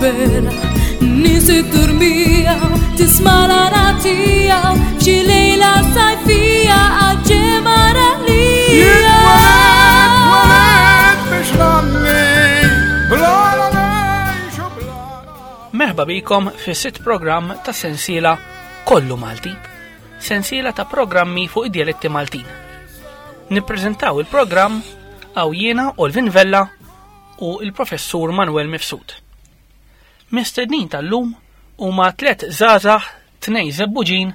libera Nies it-turmija tisma' l-għana tiegħu f'xi lejla sajfija għaġġemara lija. Merħba bikom fi sitt programm ta' sensiela Kollu Malti, sensiela ta' programmi fuq id-dialetti Maltin. Nippreżentaw il-programm għaw jiena Olvin Vella u il-professur Manuel Mifsud. Mistednin tal-lum huma tlet żgħażagħ, tnej Żebbuġin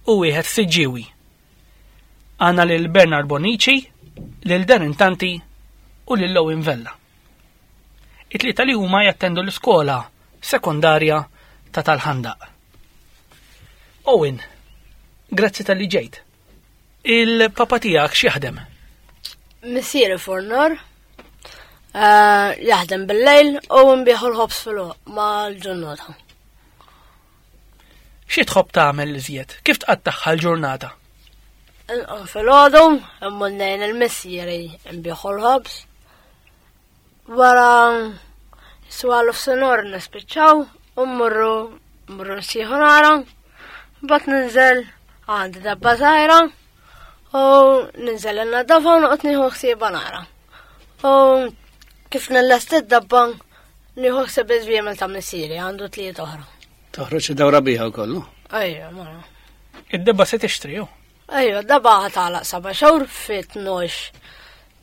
u wieħed Siġġiewi. Għandna lil Bernard Bonnici, lil Darren Tanti u lil Owen Vella. It-tlieta li huma jattendu l-iskola sekondarja ta' tal-Ħandaq. Owen, grazzi tal-li ġejt. Il-papa tiegħek x'jaħdem? Missieri fornor, eh, jaħdem bil-lejl u nbieħu l-ħobs fil mal-ġurnata. Xi tħobb tagħmel iżjed? Kif tqattagħha l-ġurnata? Inqum fil-għodu, immur ngħin il-missieri nbieħu l-ħobs. Wara swalu f'sinor nispiċċaw u mmorru mmorru nsieħu nara, bat ninżel għandi dabba żgħira u ninżel in-nadafa u noqgħod nieħu ħsiebha nara. U kif nillest id-dabba nieħu ħsieb iż-żwiemel ta' missieri għandu tliet oħra. Toħroġ id-dawra biha wkoll. Ejja, mara. Id-debba se tixtri ju? Ejja, dabba ħatalaq saba' xhur fit-12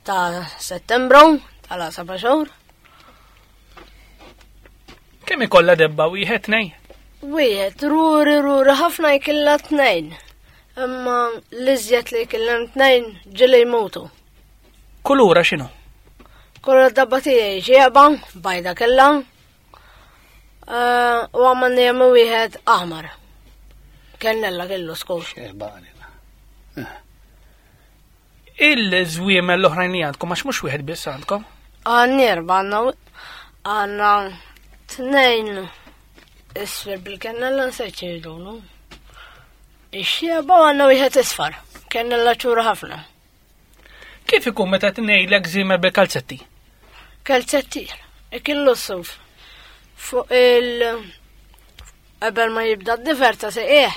ta' Settembru tala saba' xhur. Kemm ikollha debba wieħed tnej? Wieħed, ruri ruri ħafna jkilla tnejn. Imma l-iżjed li jkillem tnejn ġili jmutu. Kulura x'inhu? Kulura dabba tiegħi xieba, bajda kellha. Eh, u għamma jemmu wieħed aħmar. Kennella kellu skur. Xieba eh. Il-żwiemel l-oħrajn li għandkom, għax mhux wieħed biss għandkom. Għandni erba' għandna għandna tnejn isfir bil-kennella nsejt xejdulu. Ix-xieba għandna wieħed isfar, kennella ċura ħafna. Kif ikun meta tnejlek żiemel bil-kalzetti? Kalzetti, ikillu s-suf. Fuq il- qabel ma jibda d-difer ta' seqieħ,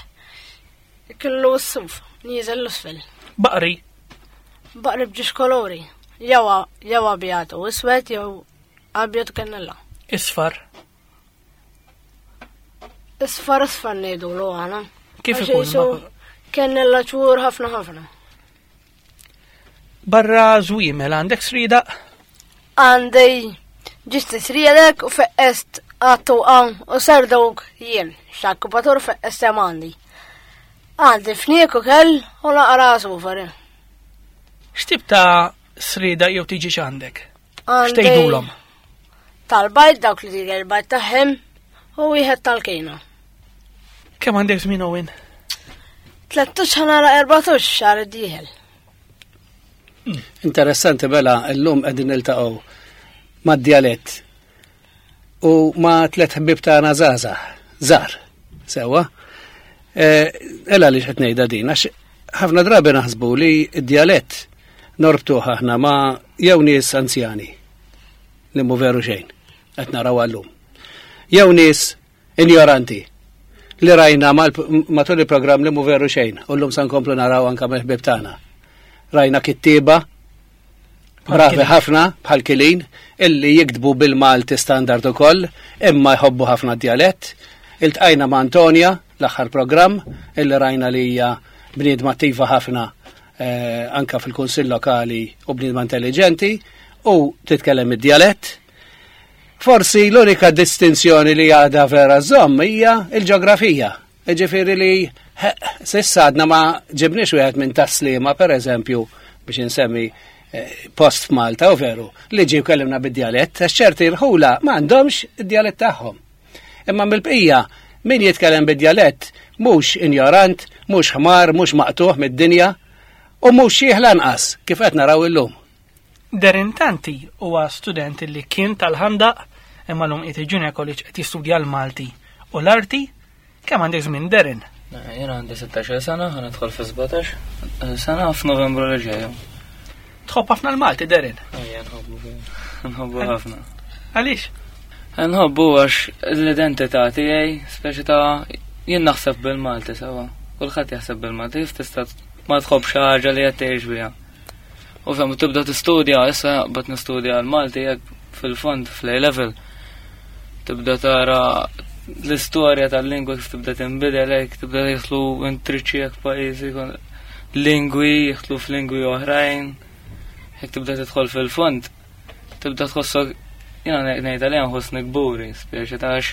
Kellu s-suf, nieżel l-isfel. Baqri. Baqri b'ġiex kolori. Jew jew abjad u iswed jew abjad u kennella. Isfar. Isfar isfar ngħidulu aħna. Kif Għax ikun? qisu Kennella ċur ħafna ħafna. Barra żwiemel għandek sridaq? Għandi ġisti sriedek u feqqest għattu għan u serduk jien, xakkupatur feqqest hemm għandi. Għandi fniek u kell u naqra sufar. X'tip ta' srida jew tiġi x'għandek? Għandi X'tgħidulhom? Tal-bajt dawk li tiġi l-bajt tagħhom u wieħed tal-kejna. Kemm għandek żmien Owen? 13 ħanara 14 xahar id-dieħel. Interessanti bela llum qegħdin niltaqgħu mad-djalett u ma' tliet ħbieb tagħna żgħażagħ, żgħar, sewwa. Eh, ela li qed ngħidha din għax ħafna drabi naħsbu li d-djalett norbtuh aħna ma' jew nies anzjani li mhu veru xejn qed naraw għallum. Jew nies Injoranti. Li rajna matul il-programm li mhu veru xejn, u llum sa nkomplu naraw anka mill-ħbieb tagħna. Rajna kittieba bravi ħafna bħal Kilin illi jiktbu bil-Malti standard ukoll, imma jħobbu ħafna d-djalett. Iltqajna ma' Antonia l-aħħar programm illi rajna li hija bniedma attiva ħafna eh, anka fil-kunsill lokali u bniedma intelligenti u titkellem id-djalett. Forsi l-unika distinzjoni li għadha vera żomm hija l-ġeografija. Ġifieri li s'issa għadna ma ġibniex wieħed minn Tas-Sliema pereżempju biex insemmi eh, post f'Malta u veru li ġie kellimna bid-djalett, għax ċerti rħula ma għandhomx id-djalett tagħhom. Imma mill-bqija min jitkellem bid-djalett mhux injorant, mhux ħmar, mhux maqtuħ mid-dinja u mhux xieħ lanqas kif qed naraw illum. Darren Tanti huwa student li kien tal-Ħandaq imma llum qiegħed il-Junior College qed jistudja l-Malti u l-Arti. Kemm għandek żmien Darren? Jien għandi 16 sena, ħa nidħol fi 17 sena f'Novembru li ġej. Tħobb ħafna l-Malti Darren? Ejja, nħobbu nħobbu ħafna. Għaliex? Nħobbu għax l-identità tiegħi, speċi ta' jien naħseb bil-Malti sewa. Kulħadd jaħseb bil-Malti, kif tista' ma tħobb xi ħaġa li qed tgħix biha. U fem tibda tistudja, issa bad nistudja l-Malti jekk fil-fond fl-A level. Tibda tara l-istorja tal-lingwa kif tibda tinbidel hekk, tibda jidħlu intriċċi hekk pajjiżi lingwi jidħlu f'lingwi oħrajn, jekk tibda tidħol fil-fond tibda tħossok jiena ngħid għalija nħossni kburi, speċi ta' għax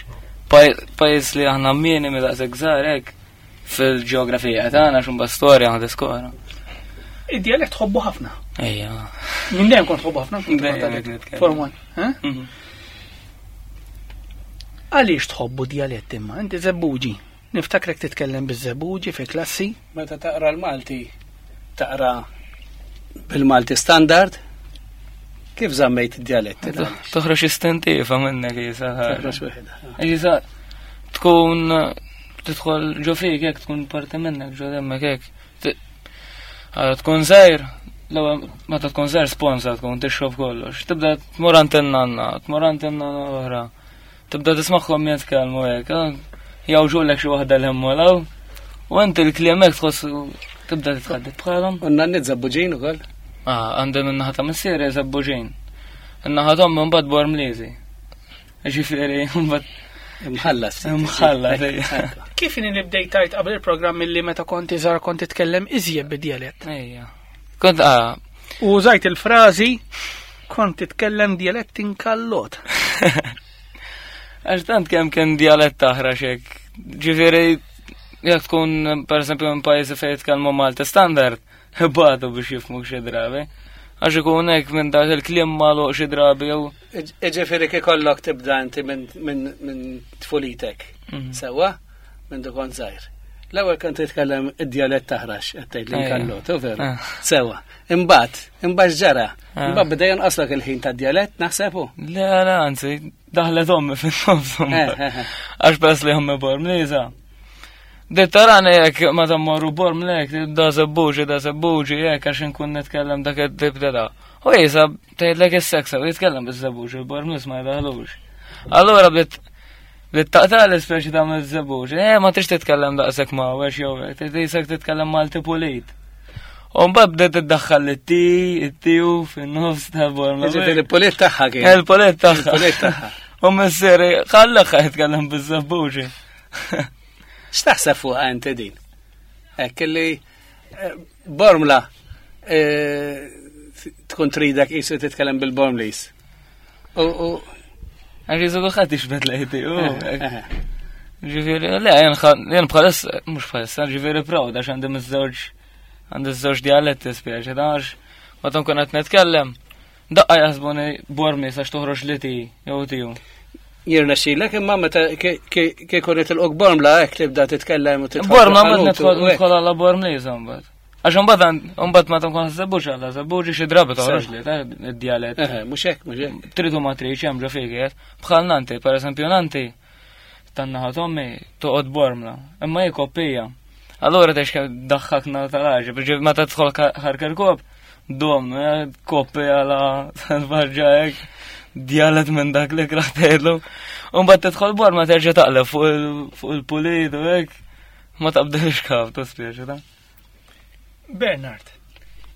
pajjiż li aħna minimi daqshekk żgħar hekk fil-ġeografija tagħna x'imba storja ħad iskora. Id-dialett tħobbu ħafna. Ejja. Minn dejjem kont tħobbu ħafna. Form one. Eh? Mhm. Għaliex tħobbu dialett imma? Inti żebbuġi. Niftakrek titkellem biż-żebbuġi fi klassi. Meta taqra l-Malti, taqra bil-Malti standard, kif żammejt id-dialett? Toħroġ istintiva minnek jisa. Toħroġ waħedha. Jisa tkun tidħol ġo fik hekk tkun parti minnek ġo demmek hekk. Tkun żgħir, l-ewwel meta tkun żgħir sponsa tkun tixrob kollox. Tibda tmur għand in-nanna, tmur għand in-nanna oħra. Tibda tismagħhom jitkellmu hekk, jawġulek xi waħda l hemm law. U inti l-kliem hekk tħoss tibda titħadded bħalhom. U n-nanniet żabbuġin ukoll? Ah, għandi minn naħa ta' missieri żabbuġin. In-naħa t'ommi mbagħad Bormliżi. Ġifieri mbagħad Imħallas. Imħallas. Kif inhi li bdejt tajt qabel il-programm illi meta kont iżgħar kont titkellem iżjed bid-djalett? Ejja. Kont ah. U użajt il-frażi kont titkellem djalett inkallot. Għax tant kemm kien djalett taħrax hekk. Ġifieri jekk tkun pereżempju minn pajjiżi fejn jitkellmu Malti standard, ibatu biex jifhmuk xi drabi. Għax ikun hekk minn dak il-kliem magħluq xi drabi jew. Ġifieri kikollok tibda inti minn tfulitek. Mhm. Sewwa? Minn dukon żgħir. L-ewwel kont titkellem id-djalett taħrax qed tgħid li nkallot, u veru. Eh. Sewwa. Imbagħad, imbagħad ġara. Eh. Imbagħad beda jonqoslok il-ħin tad-djalett naħseb hu. Le, le, anzi, daħlet ommi fin-nofs. Eh, Għax bes li ommi bormliża. Dettarani jekk ma tammorru bormlek, da sebbuġi, da sebbuġi, jekk għax inkun nitkellem dak id-dibda da. U jisa, tgħidlek is-seksa, u jitkellem bis-sebbuġi, il-bormlis ma jdaħlux. Allura bdiet Li taqta l-ispeċi ta' miż-żebbuġ. Eh, ma trix titkellem daqshekk ma' għax jew hekk, trid titkellem Malti pulit. U mbagħad bdiet tiddaħħal it-ti, it-tiju fin-nofs tal-borma. Ġifieri il-pulit tagħha kien. Il-pulit tagħha. Il-pulit tagħha. U missieri ħallha jitkellem biż-żebbuġi. X'taħseb fuqha inti din? Hekk li eh, Bormla eh, tkun tridek qisu titkellem bil-Bormlis. U Għax jizu kulħadd jixbet lejti. Ġifieri, le, jien bħalissa, mhux bħalissa, ġifieri proud għax għandi miż-żewġ għandi żewġ dialetti spjeċi, għax meta nkun qed nitkellem, daqqa jaħsbuni bormi sax toħroġ li ti jew tiju. Jirnexxilek imma meta kieku nitilqok bormla hekk tibda titkellem u tidħol. Bormla ma nidħol għala bormli mbagħad. Għax mbagħad mbagħad ma tkun żebbuġ għala żebbuġ xi drabi toħroġ li ta' id-djalett. Mhux hekk, mhux hekk. Tridu ma tridx hemm ġo fik Bħal nanti, pereżempju nanti tan-naħa tommi toqgħod bormla, imma hi koppija. Allura tex daħħakna tal-ħaġa, biex meta tidħol ħarkerkop, dom, eh, koppija la tal-barġa hekk, djalet minn dak li kraħ tgħidlu. U mbagħad tidħol borma terġa' taqleb fuq il-pulit u hekk, ma taqbdelx kaf, tospieċi ta' Bernard,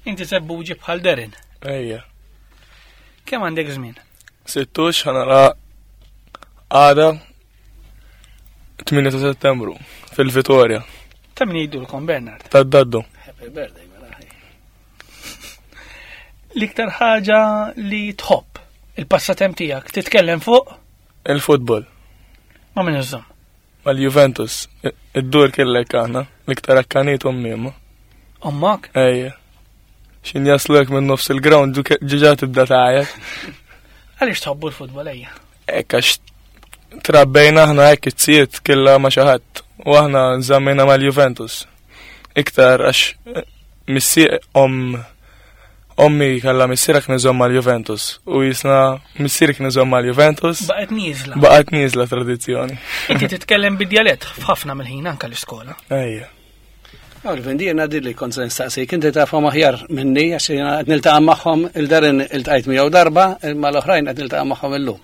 inti sebbuġi bħal Derin. Ejja. Kemm għandek żmien? Sittux ħanara għada 8 ta' settembru fil-Vitorja. Ta' min jgħidulkom Bernard? Ta' daddu. Happy birthday, mela. L-iktar ħaġa li tħobb il-passatemp tiegħek titkellem fuq? Il-futbol. Ma' min iżżomm? Mal-Juventus, id-dur kellek aħna, l-iktar akkanit ommi imma. Ommok? Ejja. Xin jaslu hekk minn nofs il-ground ġiġa tibda tgħajjat. Għaliex tħobbu l-futbol ejja? Hekk għax trabbejna aħna hekk it-siet killa ma' xi ħadd u aħna nżammejna mal-Juventus. Iktar għax eh, missier om ommi kellha missierha kien iżomm mal-Juventus u jisna missieri kien iżomm mal-Juventus. Baqgħet nieżla. Baqgħet nieżla tradizzjoni. Inti titkellem bid-djalett f'ħafna mill-ħin anke l-iskola. Ejja. Alvin, di jena li kont se nistaqsik, inti tafhom aħjar minni għax jiena qed niltaqa' magħhom il-darin iltqajt miegħu darba, imma l-oħrajn qed niltaqa' magħhom illum.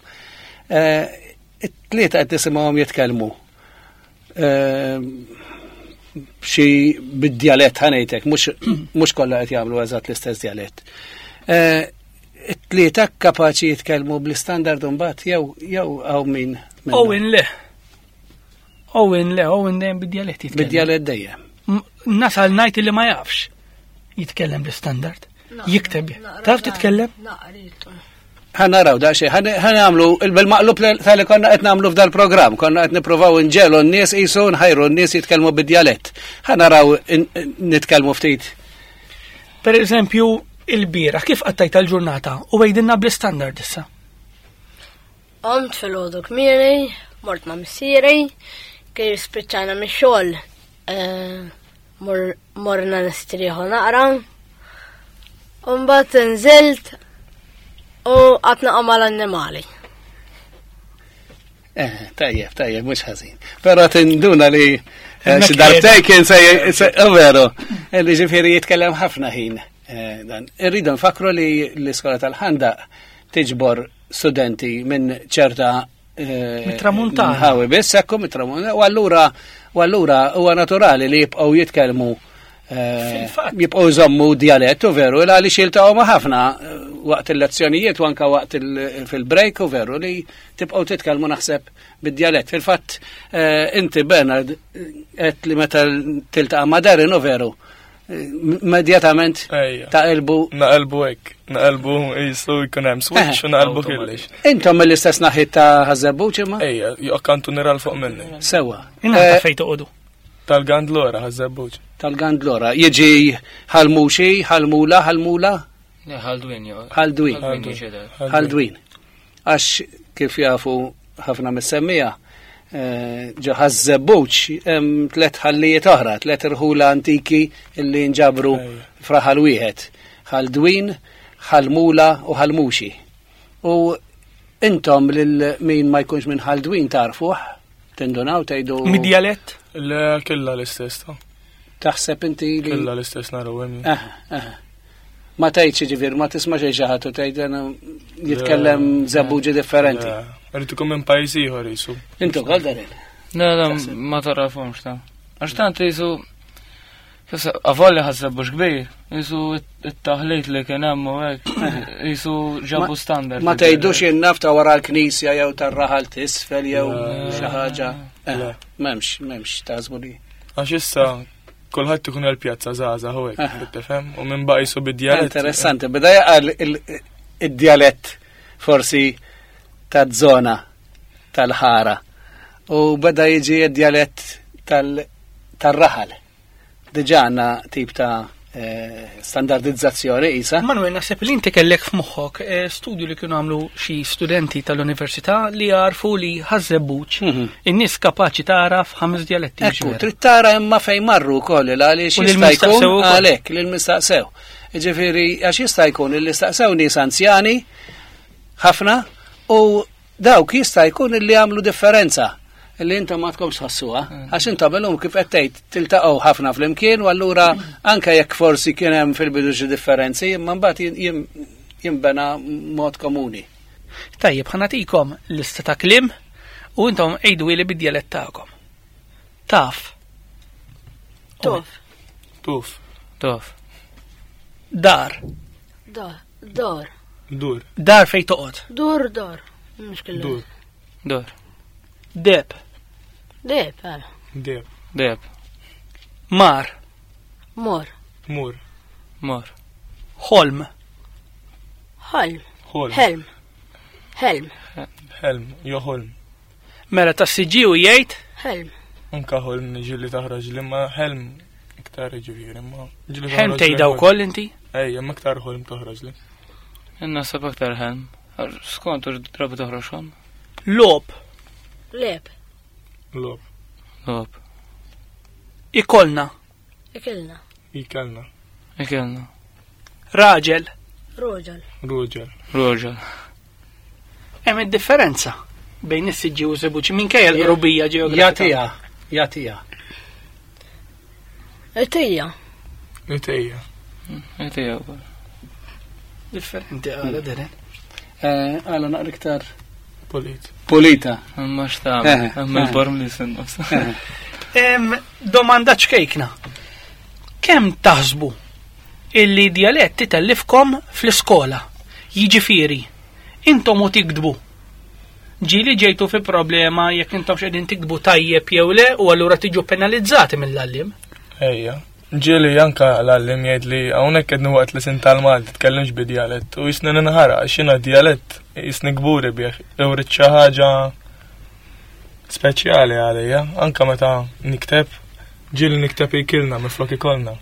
Eh, It-tlieta qed nisimgħuhom jitkellmu. Eh, xi bid-djalett ħanejtek, mhux kollha qed jagħmlu eżatt l-istess djalett. Eh, it-tlieta kapaċi jitkellmu bl-istandard mbagħad jew jew hawn min. Owen le. Owen le, Owen dejjem bid-djalett jitkellem. Bid-djalett dejjem. Nasal ngħid li ma jafx jitkellem bl-istandard. Jikteb. Taf titkellem? Ħa naraw daqsxejn, ħa nagħmlu bil-maqlub tal-li konna qed nagħmlu f'dal-programm, konna qed nippruvaw inġelu n-nies qisu nħajru n-nies jitkellmu bid-djalett. Ħa naraw nitkellmu ftit. Per eżempju, il-bieraħ kif qattajt tal-ġurnata u għidilna bl-istandard issa. Qomt filgħodu kmieni, mort ma' missieri, kif spiċċajna mix-xogħol eh, morna nistrieħu naqra. U mbagħad nżilt u qatt naqa' mal-annimali. Eh, tajjeb, tajjeb, mhux ħażin. Però tinduna li eh, xi darbtejn kien se oh, veru, eh, li ġifieri jitkellem ħafna ħin. Dan. Irridu nfakru li l-iskola tal-ħandaq tiġbor studenti minn ċerta eh, Mit-tramuntana. Ħawi biss, ekku mit-tramuntana. U allura u allura huwa naturali li jibqgħu jitkellmu eh, jibqgħu jżommu djalett u veru il għaliex jiltaqgħu ma' ħafna eh, waqt il-lezzjonijiet u anka waqt fil-break u veru li tibqgħu titkellmu naħseb bid-djalett. Fil-fatt inti Bernard qed li meta tiltaqa' ma' Darren u veru immedjatament taqilbu. Naqilbu hekk, naqilbu jisu jkun hemm switch u naqilbu kollox. Intom mill-istess naħit ta' Ħażebbuġ imma? Ejja, jokkantu niral fuq minni. Sewa. Inta eh, fejn toqogħdu? Tal-Gandlora, Ħażebbuġ. Tal-Gandlora. Jiġi ħalmuxi, ħalmula, ħalmula? Ħaldwin, Ħaldwin. Ħaldwin. Għax kif jafu ħafna mis-semmija, eh, ġo Ħaż-Żebbuġ hemm tliet ħallijiet oħra, tliet irħula antiki illi nġabru fraħal wieħed. Ħaldwin, Ħalmula u Ħalmuxi. U intom lil min ma jkunx minn Ħaldwin tarfuh, tindunaw tgħidu. Mid-djalett? Le killa l-istess ta' Taħseb inti li. Killa l-istess naraw hemm. Ma tgħidx jiġifieri ma tisma' xejn xi ħadd u tgħid jitkellem żebbuġi differenti. Irid ikun minn pajjiż ieħor jisu. Intu wkoll Darin? Le, le, ma tarafhomx ta' Għax tant jisu Avolli ħasseb kbir, jisu it-taħlit li kien hemm u hekk, jisu ġabu standard. Ma tgħidux jien naf ta' wara l-knisja jew tar-raħal t'isfel jew xi ħaġa. Eh, m'hemmx, m'hemmx tażbu li. Għax issa Kulħadd ikun il-pjazza żgħażagħ u hekk, tifhem? U minn baqa' jisu bid-djalett. Interessanti, beda jaqal id-djalett forsi taż-żona tal-ħara u beda jiġi id-djalett tal-raħal. Diġà għandna tip ta' eh, standardizzazzjoni isa. Manuel, naħseb li inti kellek f'moħħok eh, studju li kienu għamlu xi studenti tal-università li għarfu li ħażebbuċ mhm. in-nies kapaċi tagħraf ħames dialetti. Ekku, trid tara imma fejn marru wkoll għaliex jista' jkun għalhekk lil mistaqsew. Ġifieri għax jista' jkun li staqsew nies anzjani ħafna u Dawk jista' jkun illi għamlu differenza li intom ma tkomx tħossuha, mm. għax intom illum kif qed tgħid tiltaqgħu ħafna flimkien u allura anke jekk forsi kien hemm fil-bidu xi differenzi, imma mbagħad jinbena mod komuni. Tajjeb, ħa nagħtikom lista ta' kliem u intom għidu li bid-djalett tagħkom. Taf. Tuf. Tuf. Tuf. Dar. Dar. Dar. Dur. Dar fej toqgħod. Dur, dar. Mhux kellu. Dur. Dur. Deb. Deb, għala. Deb. Deb. Mar. Mor. Mur. Mor. Ħolm. Ħolm. Ħolm. Helm. Helm. Helm. Jo ħolm. Mela tas-siġġiewi jgħid? Helm. Anka ħolm ġieli taħroġ li ma helm iktar ġifieri ma. Helm tgħidha wkoll inti? Ejja, ma iktar ħolm toħroġ li. Naħseb aktar helm. Skont u drabi toħroġ ħolm. Lob. Leb. Lob. Lob. Ikolna. Ikilna. Ikelna. Ikelna. Raġel. Roġel. Roġel. Roġel. Hemm id-differenza bejn is-siġġi u żebuċi minkejja l-qrubija ġeografika. Jagħtiha, jagħtiha. Itija. Itija. Itija wkoll. Differenti għala deren. Eh, għala naqra iktar. Pulit. Pulita. Ma x'tagħmel, hemm il-borm li sinqos. Domanda ċkejkna. Kemm taħsbu illi djalett itellifkom fl-iskola? Jiġifieri, intom u tiktbu. Ġieli ġejtu fi problema jekk intom x'qegħdin tiktbu tajjeb jew le u allura tiġu penalizzati mill-għalliem? Ejja. Ġieli anka l-għalliem jgħid li hawnhekk qed waqt li sin tal-Malti tkellimx bi djalett u jisni ninħara għax jiena djalett jisni kburi bih jew rrid xi ħaġa speċjali għalija, anka meta nikteb ġieli nikteb ikilna minflok ikollna.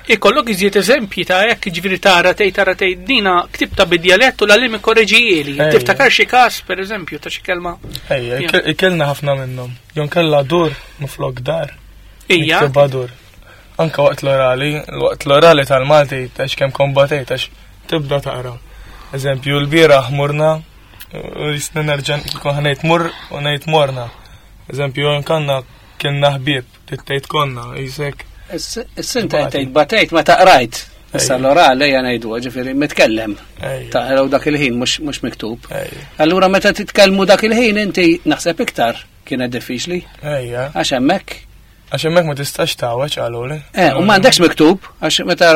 Ikollok iżjed eżempji ta' hekk, jiġifieri tara tgħid tara tgħid dina ktibta bid-djalett u l-għalliem ikkoreġijieli. Tiftakar xi każ pereżempju ta' xi kelma? Ejja, ikilna ħafna minnhom. Jew kellha dur minflok dar. Ija. Niktibha dur. Anka waqt l-orali, waqt l-orali tal-Malti għax kemm kombatejt għax tibda taqra. Eżempju, l-bieraħ morna u jisni nerġa' nkun ħanejt mur u ngħid morna. Eżempju, nkanna kienna ħbieb, tgħid konna, jisek. Is-sinta tgħid batejt meta qrajt. Issa l-orali ejja ngħidu, ġifieri mitkellem. Taqraw dak il-ħin mhux miktub. Allura meta titkellmu dak il-ħin inti naħseb iktar kienet diffiċli. Ejja. Għax hemmhekk. Għax hemmhekk ma tistax tgħawweġ qaluli. U m'għandekx miktub, għax meta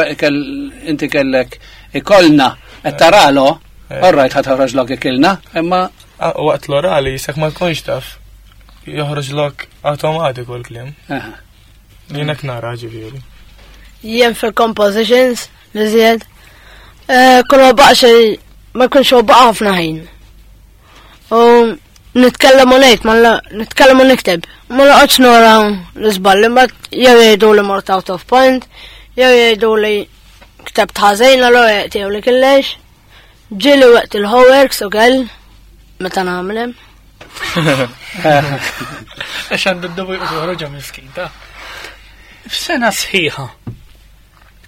inti kellek ikollna qed taralo, all right ħa toħroġlok ikilna, imma Waqt l-orali jisek ma tkunx taf, joħroġlok automatiku l-kliem. Jien hekk nara ġifieri. Jien fil-compositions li żjed, kull ma baqa' xejn, ma jkunx huwa baqa' ħafna ħin. U nitkellem u ngħid, ma nitkellem u nikteb. Ma noqgħodx nora l-iżballi, mbagħad jew jgħidu li mort out of point, jew jgħidu li ktebt ħażin, allura jgħidu li killex. Ġieli waqt il-homeworks u kell, meta nagħmlem. Għax għandu d-dubu joħroġha miskin, ta' F'sena sħiħa,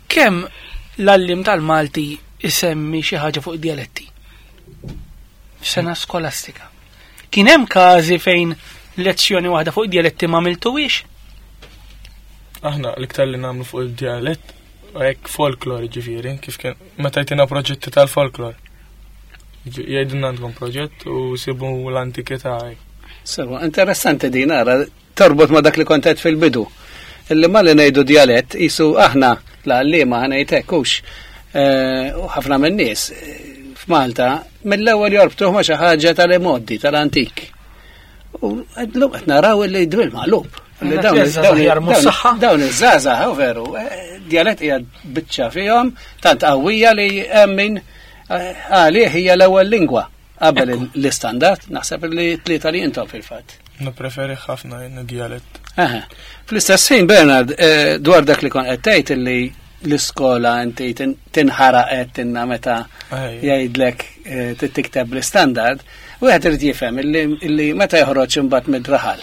kemm l-għalliem tal-Malti isemmi xi ħaġa fuq id-dialetti? F'sena skolastika. Kien hemm każi fejn lezzjoni waħda fuq id-dialetti ma għamiltuhiex? Aħna l-iktar li nagħmlu fuq id-dialett hekk folklor ġifieri, kif kien meta jtina proġetti tal-folklor. Jgħidulna għandkom proġett u sibu l-antikità hekk. Sewa, interessanti din ara, torbot ma dak li kont għedt fil-bidu. Illi malli ngħidu djalett qisu aħna l-għalliema ħa ngħid hekk hux u ħafna min-nies f'Malta mill-ewwel jorbtuh ma' xi ħaġa tal-imgħoddi, tal-antik. U llum qed naraw illi bil maqlub. Li dawn iż-żgħażagħ, hu veru, djalett hija biċċa fihom tant qawwija li hemm min għalih hija l-ewwel lingwa qabel l-istandard, naħseb li tlieta li intom fil-fatt. Nippreferi ħafna jien id-djalett. Aha. Fl-istess ħin, Bernard, dwar dak li kon qed tgħid illi l-iskola inti tinħaraq qed tinna meta jgħidlek tikteb l-istandard, wieħed irid jifhem illi meta joħroġ imbagħad mid-raħal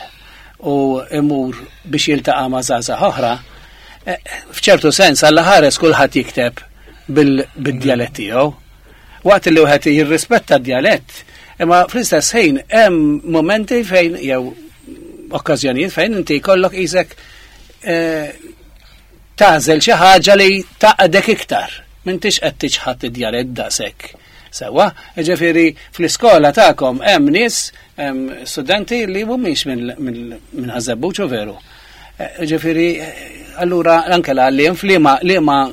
u imur biex jiltaqa' ma' żgħażagħ oħra, f'ċertu sens Alla ħares kulħadd jikteb bil-djalett tiegħu. Waqt li wieħed jirrispetta d-djalett, imma fl-istess ħin hemm momenti fejn jew okkażjonijiet fejn inti jkollok qisek tagħżel xi ħaġa li taqdek iktar. M'intix qed tiċħad id-djalett daqshekk. Sewwa, ġifieri fl-iskola tagħkom hemm nies, hemm studenti li mhumiex minn Ħaż-Żebbuġ u veru. Ġifieri, allura anke l-għalliem f'liema liema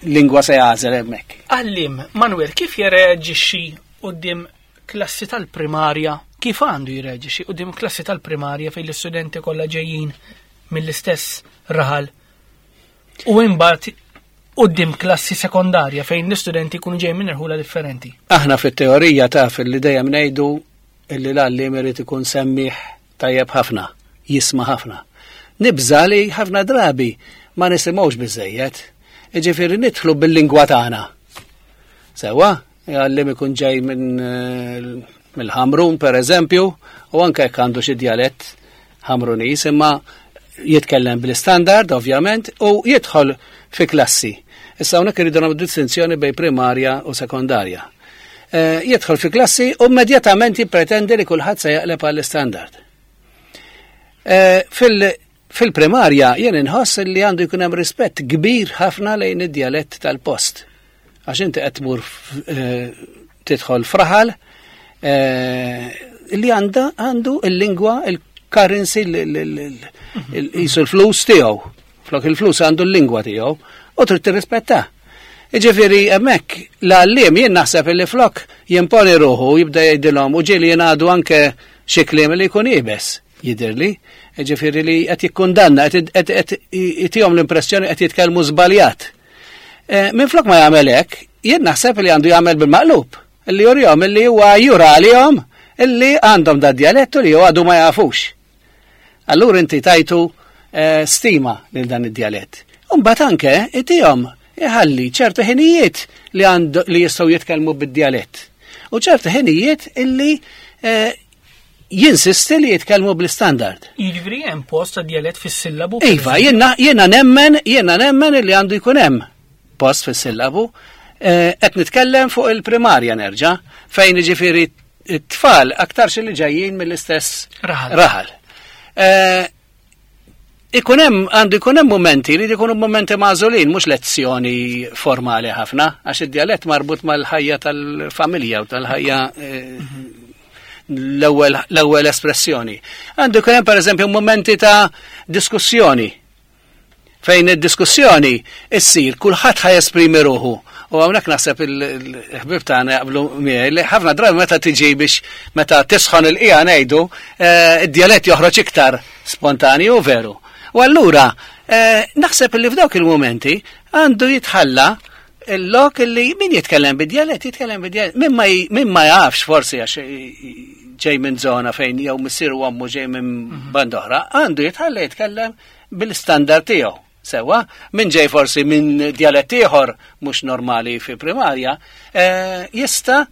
lingwa se jagħżel hemmhekk. Għalliem, Manuel, kif jirreaġixxi quddiem klassi tal-primarja? Kif għandu jirreaġixxi quddiem klassi tal-primarja fejn l-istudenti kollha ġejjin mill-istess raħal u imbagħad quddiem klassi sekondarja fejn l-istudenti jkunu ġejjin minn irħula differenti? Aħna fit-teorija taf li dejjem ngħidu illi l-għalliem irid ikun semmiħ tajjeb ħafna, jisma' ħafna. Nibża' li ħafna drabi ma nisimgħux biżejjed. Jiġifieri nidħlu bil-lingwa tagħna. Sewwa, għalliem ikun ġej mill-Ħamrun per eżempju, u anke jekk għandu xi djalett Ħamruniż, imma jitkellem bl-istandard ovvjament u jidħol fi klassi. Issa hawnhekk irridu nagħmlu distinzjoni bejn primarja u sekondarja. Jidħol fi klassi u immedjatament jippretendi li kulħadd se jaqleb għall-istandard. Fil-primarja jien inħoss li għandu jkun hemm rispett kbir ħafna lejn id-djalett tal-post. Għax inti qed tmur tidħol fraħal, li għandha għandu il-lingwa, il-currency, jisu l-flus tiegħu. Flok il-flus għandu l-lingwa tiegħu u trid tirrispetta. Iġifieri hemmhekk l-għalliem jien naħseb li flok jimponi ruħu jibda jgħidilhom u ġieli jingħadu anke xi kliem li jkun iebes jidhirli. Ġifieri li qed jikkundanna, qed itihom l-impressjoni qed jitkellmu żbaljat. Eh, minflok ma jagħmel hekk, jien naħseb li għandu jagħmel bil-maqlub, li jurihom li huwa jura għalihom illi għandhom da djalettu li għadu ma jafux. Allura inti tajtu eh, stima lil dan id-djalett. Imbagħad anke itihom iħalli ċertu ħinijiet li għandu li jistgħu jitkellmu bid-djalett. U ċertu ħinijiet illi eh, jinsisti li jitkellmu bl-istandard. Jiġifieri hemm post ta' djalett fis-sillabu? Iva, jiena nemmen, jiena nemmen illi għandu jkun hemm post fis-sillabu. Eh, qed nitkellem fuq il-primarja nerġa' fejn jiġifieri it-tfal aktarx li ġejjin mill-istess raħal. Eh, ikun hemm għandu jkun hemm momenti li jkunu momenti magħżulin mhux lezzjoni formali ħafna għax id-djalett marbut mal-ħajja tal-familja u tal-ħajja eh, l-ewwel espressjoni. Għandu jkun hemm pereżempju momenti ta' diskussjoni fejn id-diskussjoni issir kulħadd ħa jesprimi ruħu. U hawnhekk naħseb il-ħbib tagħna jaqblu miegħi li ħafna drabi meta tiġi biex meta tisħon il-qija ngħidu eh, id-djalett joħroġ iktar spontanju veru. U allura eh, naħseb li f'dawk il-momenti għandu jitħalla il-lok li min jitkellem bid-djalett jitkellem bid-djalett. Min ma jafx forsi għax ġej minn zona fejn jew missier u ommu ġej minn mhm. band oħra, għandu jitħalla jitkellem bil-standard tiegħu. Sewa, min ġej forsi minn djalett ieħor mhux normali fi primarja, eh, jista'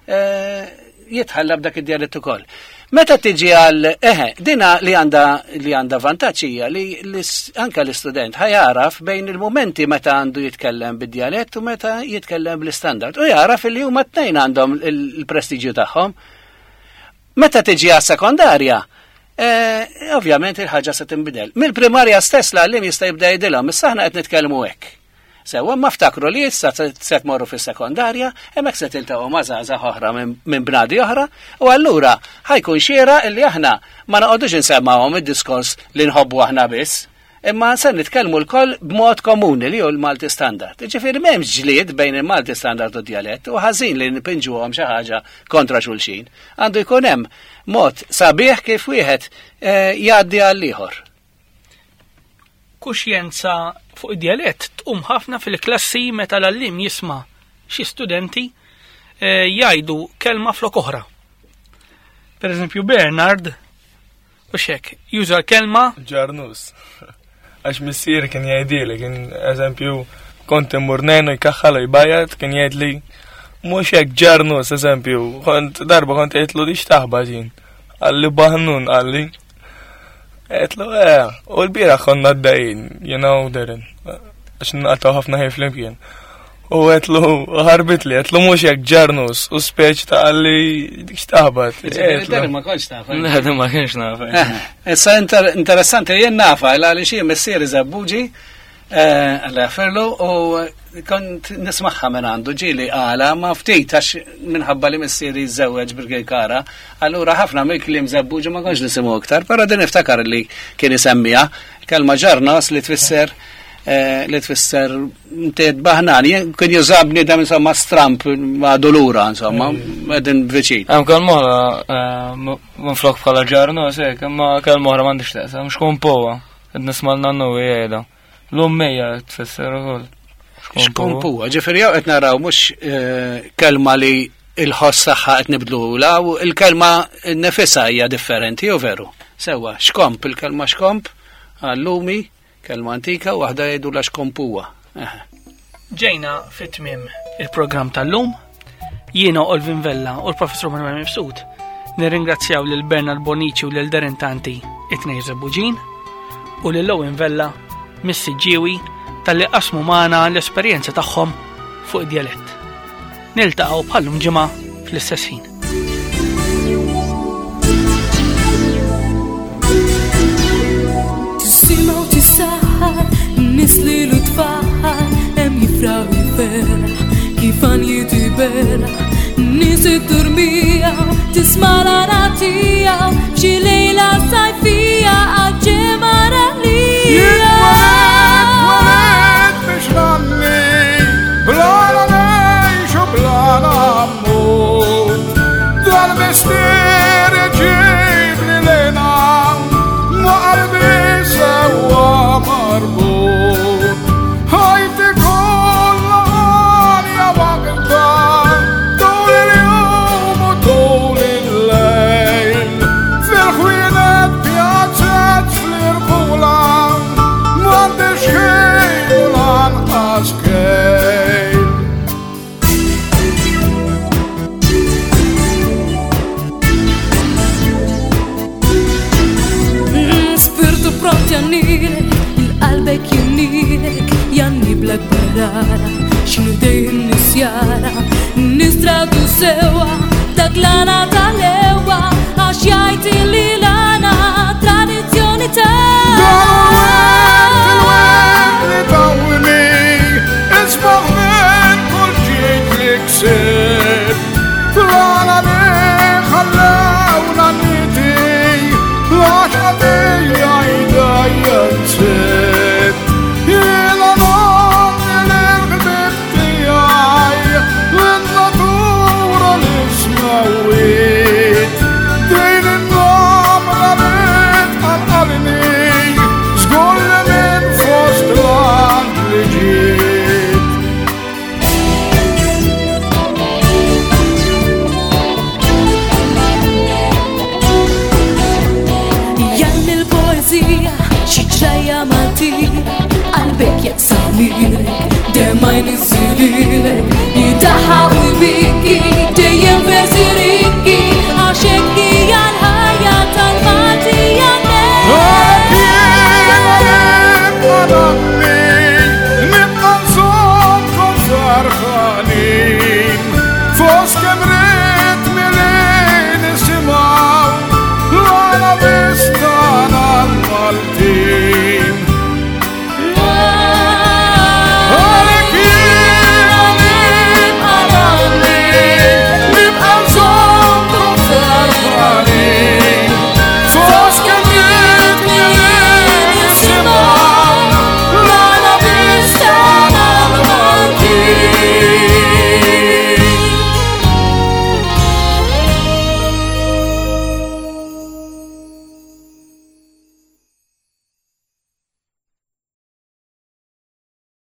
eh, jitħalla b'dak id-djalett ukoll. Meta tiġi għal eħe, dina li għanda li għanda vantaġġ hija li anke l-istudent ħajaraf bejn il-momenti meta għandu jitkellem bid-djalett u meta jitkellem bl-istandard. U jaraf li huma tnejn għandhom il-prestiġju tagħhom. Meta tiġi għas sekondarja, eh, ovvjament il-ħaġa se tinbidel. Mill-primarja stess l-għallim jista' jibda jgħidilhom, issa aħna qed nitkellmu hekk. Sewwa ma ftakru li issa se tmorru fis-sekondarja, hemmhekk se tiltaqgħu ma' żgħażagħ oħra minn bnadi oħra, u allura ħajkun xiera illi aħna ma noqogħdux insemmawhom id-diskors li nħobbu aħna biss, imma se nitkellmu lkoll b'mod komuni li hu l-Malti Standard. Jiġifieri m'hemmx ġlied bejn il-Malti Standard u d-djalett u ħażin li npinġuhom xi ħaġa kontra xulxin. Għandu jkun hemm mod sabiħ kif wieħed eh, jgħaddi għall-ieħor. Kuxjenza fuq id-djalett tqum ħafna fil-klassi meta l-għalliem jisma' xi studenti eh, jgħidu kelma flok oħra. Per eżempju Bernard u xek, juża l-kelma Ġarnus. Għax missier kien jgħidili, kien eżempju kont immur nejnu jkaħħal u jbajat, kien jgħidli mhux hekk ġarnus eżempju, kont darba kont għidtlu di x'taħba ġin. Qalli baħnun qalli. Għetlu, eh, u l-bira konna d-dajin, jena u Darren, għax nqattaw ħafna ħin flimkien. U għetlu, ħarbit li, għetlu mux jek ġarnus, u speċ ta' għalli dik xtaħbat. Darren ma konx tafa. Le, ma kienx nafa. Eh, issa interessanti, jien nafa, għalli xie missieri zabbuġi, Eh, Alla jafferlu u kont nismaħħa minn għandu ġili għala ma ftit għax minħabba li missieri żewweġ bil-Kara, allura ħafna mill-kliem żebbuġi ma kontx nisimgħu iktar, però din niftakar li kien isemmiha kelma ġarnos li tfisser eh, li tfisser inti baħnan, kien juża bniedem insomma stramp ma' dolura insomma, qegħdin viċin. Hemm kelma oħra eh, minflok bħala ġarnos hekk, imma kelma oħra m'għandix taqsam, xkun powa. Qed nisma' l-nannu jgħidha. L-ummejja tfisser ukoll. Xkompuha, ġifieri jew qed naraw mhux eh, kelma li il-ħoss tagħha qed nibdluhula u l-kelma nefisha hija differenti jew veru. Sewwa, xkomp, il-kelma xkomp għallumi, kelma antika u waħda jgħidu la xkompuha. Ġejna fit-tmiem il-programm tal-lum. Jiena Olvin Vella u l-Professur Manuel Mifsud nirringrazzjaw lil Bernard Bonici u lil Darren Tanti it-tnejn Żebbuġin u lil Owen Vella mis-Siġġiewi talli qasmu magħna l-esperjenza tagħhom fuq id-djalett. Niltaqgħu bħallum ġimgħa fl-istess ħin. Tisimgħu tisaħħar, nies li l-tfal hemm jifraħ jiferaħ kif għan jitiberaħ, nies id-durmija. Tisma' l-għana tiegħu f'xi lejla sajfija għal-ġemgħa Jien twelidt biex ngħanni, bl-għana ngħix u bl-għana mmut. Dal-mistier iġibni lejna, ma' qalbi sewwa marbut. Ħajti kollha għanja waħda, tul il-jum u tul il-lejl. Fil-ħwienet pjazzet fl-irħula, m'għandix ħin u lanqas kejl. Spirtu pront jannilek, il-qalbek jinnilek, janni blak barara, xinu dejjem nisjara, nistradu sewa, dak l-għana tal-ewa, għax jgħid li l-għana tradizzjoni ta' Dan il-wet li tawni, isbaħ minn kull ġid li ksibt. Fl-għana li ħallewna niti, l-għaxqa tiegħi dejjem sibt. Jiena nagħti lill-ħbieb tiegħi, lin-natura li smewwiet. Din in-namra li tqanqalni, żgur li minn fost l-anġli ġiet. Janni l-poezija, xi ġrajja Maltija, qalbek jaqsam lilek, dema jniżżililek.